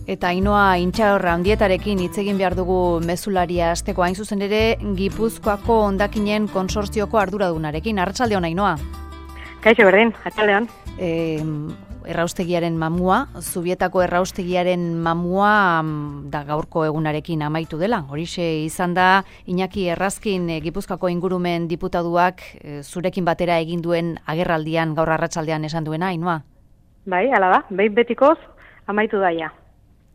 Eta Ainoa Intxaurra handietarekin hitz egin behar dugu mezularia hasteko, hain zuzen ere Gipuzkoako hondakinen konsortzioko arduradunarekin. Arratsaldeon, Ainoa. Kaixo berdin, arratsaldeon. Erraustegiaren mamua, Zubietako erraustegiaren mamua da gaurko egunarekin amaitu dela. Horixe izan da Iñaki Errazkin Gipuzkoako ingurumen diputaduak zurekin batera egin duen agerraldian gaur arratsaldean esan duena, Ainoa. Bai, hala da, behin betikoz amaitu daia.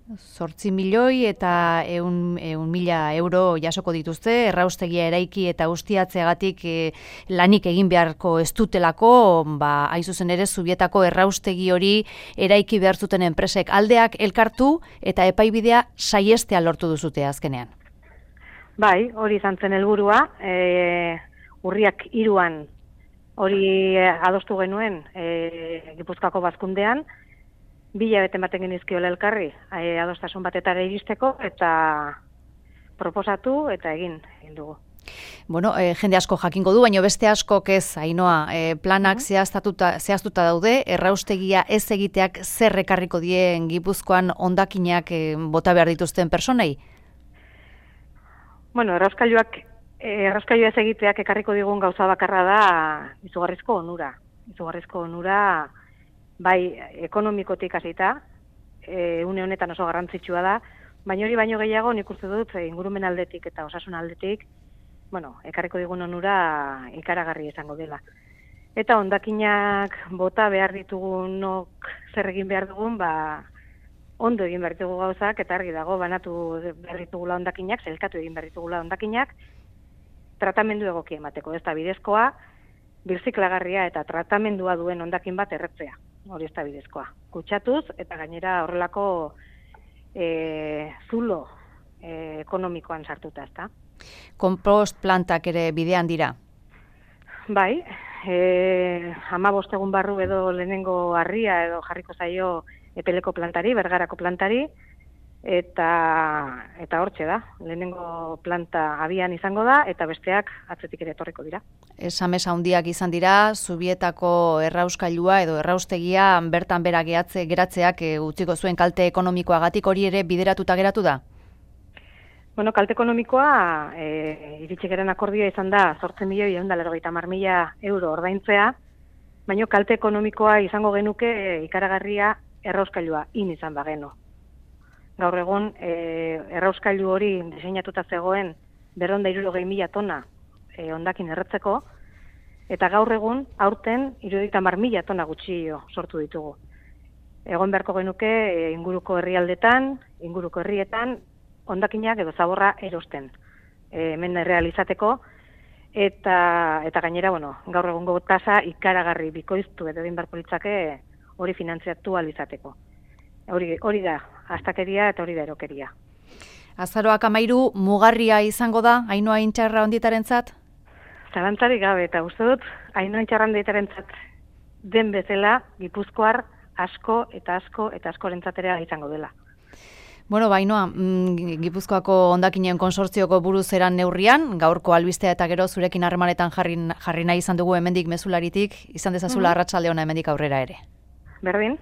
8 milioi eta 100.000 euro jasoko dituzte, erraustegia eraiki eta ustiatzeagatik lanik egin beharko ez dutelako, hain zuzen ere Zubietako erraustegi hori eraiki behar zuten enpresek aldeak elkartu eta epaibidea saiestea lortu duzute azkenean. Bai, hori izan zen helburua, urriak 3 hori adostu genuen Gipuzkoako bazkundean, 2 hilabete ematen genizkiola elkarri, adostasun batetara iristeko eta proposatu eta egin dugu. Bueno, jende asko jakingo du, baina beste askok ez, Ainoa, planak zehaztuta daude, erraustegia ez egiteak zer ekarriko dien Gipuzkoan hondakinak bota behar dituzten personei? Bueno, errauskailua ez egiteak ekarriko digun gauza bakarra da izugarrizko onura. Izugarrizko onura bai ekonomikotik hasita, une honetan oso garrantzitsua da, baina hori baino gehiago nik uste dut ingurumen aldetik eta osasun aldetik, ekarriko digun onura ikaragarri izango dela. Eta hondakinak bota behar ditugunok zer egin behar dugun, ondo egin behar ditugu gauzak, eta argi dago banatu behar ditugula hondakinak, zelkatu egin behar ditugula hondakinak, tratamendu egoki emateko, ez da bidezkoa, birziklagarria eta tratamendua duen hondakin bat erretzea. Hori ez da bidezkoa. Kutsatuz eta gainera horrelako zulo ekonomikoan sartuta, ezta. Konpost plantak ere bidean dira? Bai, 15 egun barru edo lehenengo harria edo jarriko zaio Epeleko plantari, Bergarako plantari, eta hortxe da. Lehenengo planta abian izango da eta besteak atzetik ere etorriko dira. Esamesa handiak izan dira, Zubietako errauskailua edo erraustegia bertan bera geratzeak utziko zuen kalte ekonomikoagatik, hori ere bideratuta geratu da? Bueno, kalte ekonomikoa iritsi garen akordioa izan da 8.190.000 euro ordaintzea, baina kalte ekonomikoa izango genuke ikaragarria errauskailua izan bagenu. Gaur egun errauskailu hori diseinatuta zegoen 260.000 tona hondakin erretzeko, eta gaur egun aurten 70.000 tona gutxio sortu ditugu. Egon beharko genuke inguruko herrialdetan, inguruko herrietan, hondakinak edo zaborra erosten. Hemen errealizateko, eta gainera, gaur egungo tasa ikaragarri bikoiztu edo egin beharko litzake hori finantziatu alizateko. Hori da, astakeria eta hori da erokeria. Azaroak 13 mugarria izango da, Ainoa Intxaurra handietarentzat? Zalantzarik gabe, eta uste dut, Ainoa Intxaurra handietarentzat den bezala Gipuzkoar asko eta askorentzat ere izango dela. Bueno, Ainoa, Gipuzkoako hondakinen konsortzioko buruz eran neurrian, gaurko albistea eta gero zurekin harremanetan jarri nahi izan dugu hemendik mezularitik, izan dezazula arratsalde ona hemendik aurrera ere. Berdin.